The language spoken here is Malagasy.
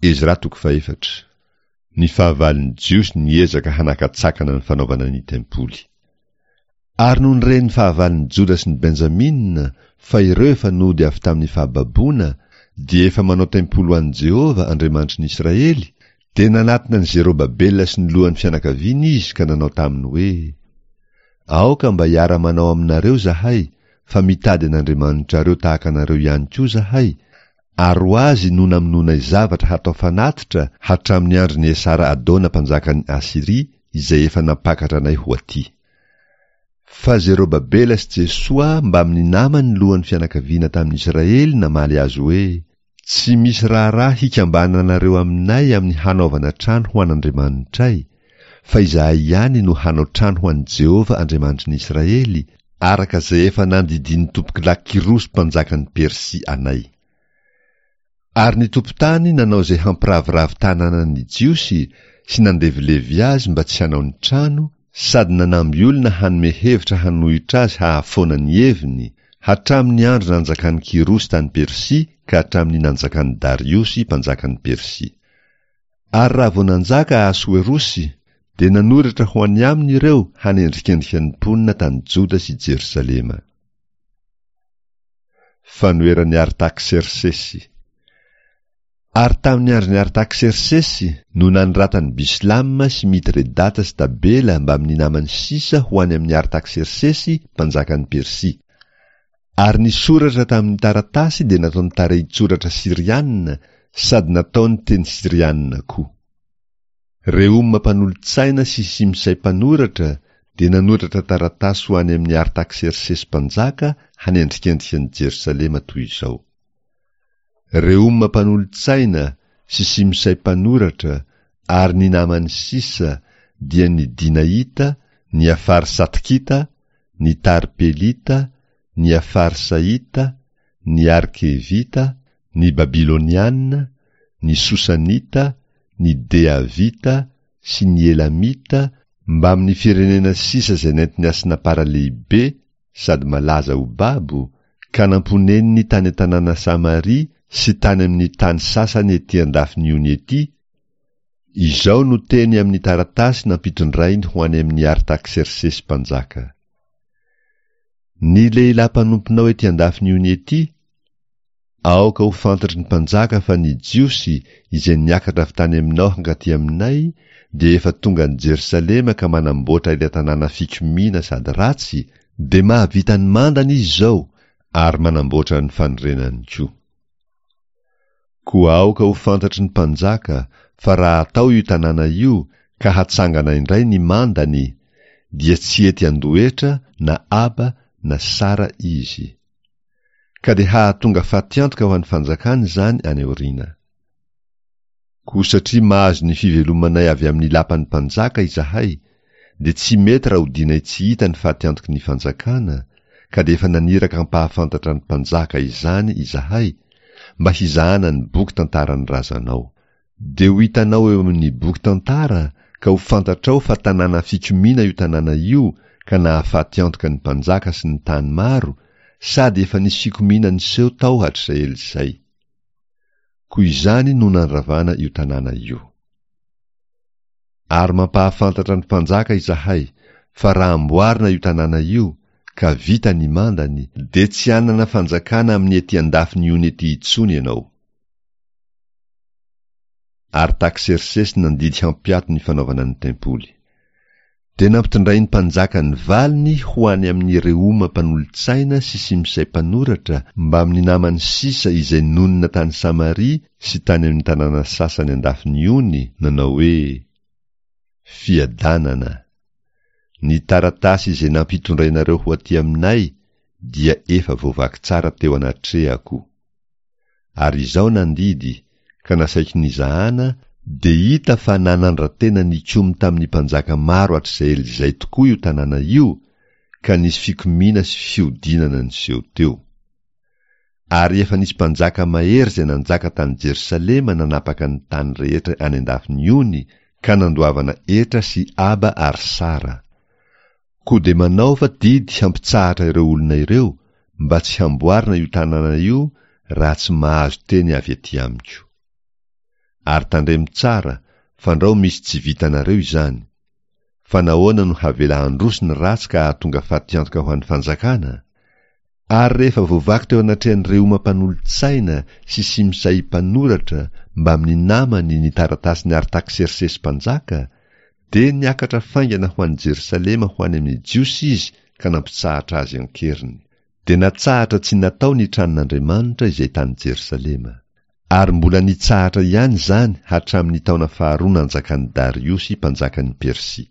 Ezra toko fahefatra. Ny fahavalon'ny Jiosy niezaka hanakatsakana ny fanaovana ny tempoly. Ary nony ren'ny fahavalon'ny Joda sy ny Benjamina fa ireo efa nody avy tamin'ny fahababoana dia efa manao tempoly ho an'i Jehovah, Andriamanitry ny Israely, dia nanatona an'i Zerobabela sy ny lohan'ny fianakaviany izy ka nanao taminy hoe, Aoka mba hiara-manao aminareo izahay, fa mitady an'Andriamanitrareo tahaka anareo ihany koa izahay, ary ho azy no namonoanay zavatra hatao fanatitra hatramin'ny andron'i Esara-adona mpanjakan'i Asyria izay efa nampakatra anay ho atỳ. Fa Zerobabela sy Jesoa mbamin'ny namany lohan'ny fianakaviana tamin'ny Israely namaly azy hoe, Tsy misy raharaha hikambananareo aminay amin'ny hanaovana trano ho an'Andriamanitray, fa izahay ihany no hanao trano ho an'i Jehovah Andriamanitry ny Israely, araka izay efa nandidian'ny tompokolahy Kyrosy mpanjakan'i Persia anay. Ary ny tompon-tany nanao izay hampiraviravy tanàna ny Jiosy sy nandevilevy azy mba tsy hanao ny trano, sady nanamby olona hanome hevitra hanohitra azy hahafoana ny heviny, hatramin'ny andro nanjakan'i Kyrosy tany Persia ka hatramin'ny nanjakan'i Dariosy mpanjakan'i Persia. Ary raha vao nanjaka Ahasoerosy, dia nanoratra ho any aminy ireo hanendrikendrika ny mponina tany Joda sy Jerosalema. Fanoheran'i Artaksersesy Ary tamin'ny andron'i Artaksersesy no nanoratan'i Bislama sy Mitredata sy Tabela mbamin'ny namany sisa ho any amin'i Artaksersesy mpanjakan'i Persia. Ary ny soratra tamin'ny taratasy dia nataony tarehin-tsoratra syriana sady nataony teny syriana koa. Rehoma mpanolo-tsaina sy Simsay mpanoratra dia nanoratra taratasy ho any amin'i Artaksersesy mpanjaka hanendrikendrika an'i Jerosalema toy izao. Rehoma mpanolo-tsaina sy Simsay mpanoratra ary ny namany sisa dia ny Dinaita, ny Afarsatkita, ny Tarpelita, ny Afarsaita, ny Arkevita, ny Babyloniana, ny Sosanita, ny Deavita sy ny Elamita mbamin'ny firenena sisa izay nentin'i Asnapara lehibe sady malaza ho babo, ka namponeniny tany an-tanàna Samaria sy tany amin'ny tany sasany ety an-dafin'ny ony ety, Izao no teny amin'ny taratasy nampitondrainy ho any amin'i Artaksersesy mpanjaka, Ny lehilahy mpanomponao ety an-dafin'ny ony ety, aoka ho fantatry ny mpanjaka fa ny Jiosy izay niakatra avy tany aminao hankaty aminay dia efa tonga any Jerosalema ka manamboatra ilay tanàna fikomiana sady ratsy, dia mahavita ny mandany izy izao ary manamboatra ny fanorenany koa. Koa aoka ho fantatry ny mpanjaka fa raha atao io tanàna io ka hatsangana indray ny mandany, dia tsy hety handoa hetra na aba na sara izy. Ka dia hahatonga fatiantoka ho an'ny fanjakana izany any aoriana. Koa satria mahazo ny fivelomanay avy amin'ny lapan'ny mpanjaka izahay, dia tsy mety raha odianay tsy hita ny fatiantoky ny fanjakana, ka dia efa naniraka hampahafantatra ny mpanjaka izany izahay, mba hizahana ny boky tantaran'ny razanao. Dia ho hitanao eo amin'ny boky tantara ka ho fantatrao fa tanàna fikomiana io tanàna io ka nahafaty antoka ny mpanjaka sy ny tany maro, sady efa nisy fikomiana niseho tao hatrizay ela izay. Koa izany no nandravana io tanàna io. Ary mampahafantatra ny mpanjaka izahay fa raha amboarina io tanàna io ka vita ny mandany dia tsy hanana fanjakana amin'ny ety an-dafin'ny ony ety intsony ianao. Artaksersesy nandidy hampiato ny fanaovana ny tempoly. Dia nampitondrain'ny mpanjaka ny valiny ho any amin'i Rehoma mpanolo-tsaina sy Simsay mpanoratra mbamin'ny namany sisa izay nonina tany Samaria sy tany amin'ny tanàna sasany an-dafin'ny ony, nanao hoe, Fiadanana! Ny taratasy izay nampitondrainareo ho aty aminay dia efa voavaky tsara teo anatrehako. Ary izao nandidy, ka nasaiko nizahana, dia hita fa nanandra-tena nikomy tamin'ny mpanjaka maro hatrizay ela izay tokoa io tanàna io, ka nisy fikomiana sy fihodinana niseho teo. Ary efa nisy mpanjaka mahery izay nanjaka tany Jerosalema nanapaka ny tany rehetra any an-dafin'ny ony, ka nandoavana hetra sy aba ary sara. Koa dia manaova didy hampitsahatra ireo olona ireo mba tsy hamboarina io tanàna io raha tsy mahazo teny avy aty amiko. Ary tandremo tsara, fandrao misy tsy vitanareo izany. Fa nahoana no havela handroso ny ratsy ka hahatonga fatiantoka ho an'ny fanjakana? Ary rehefa voavaky teo anatrehan'i Rehoma mpanolo-tsaina sy Simsay mpanoratra mbamin'ny namany ny taratasin'i Artaksersesy mpanjaka, dia niakatra faingana ho any Jerosalema ho any amin'ny Jiosy izy ka nampitsahatra azy an-keriny. Dia natsahatra tsy natao ny tranon'Andriamanitra izay tany Jerosalema. Ary mbola nitsahatra ihany izany hatramin'ny taona faharoa nanjakan'i Dariosy mpanjakan'i Persia.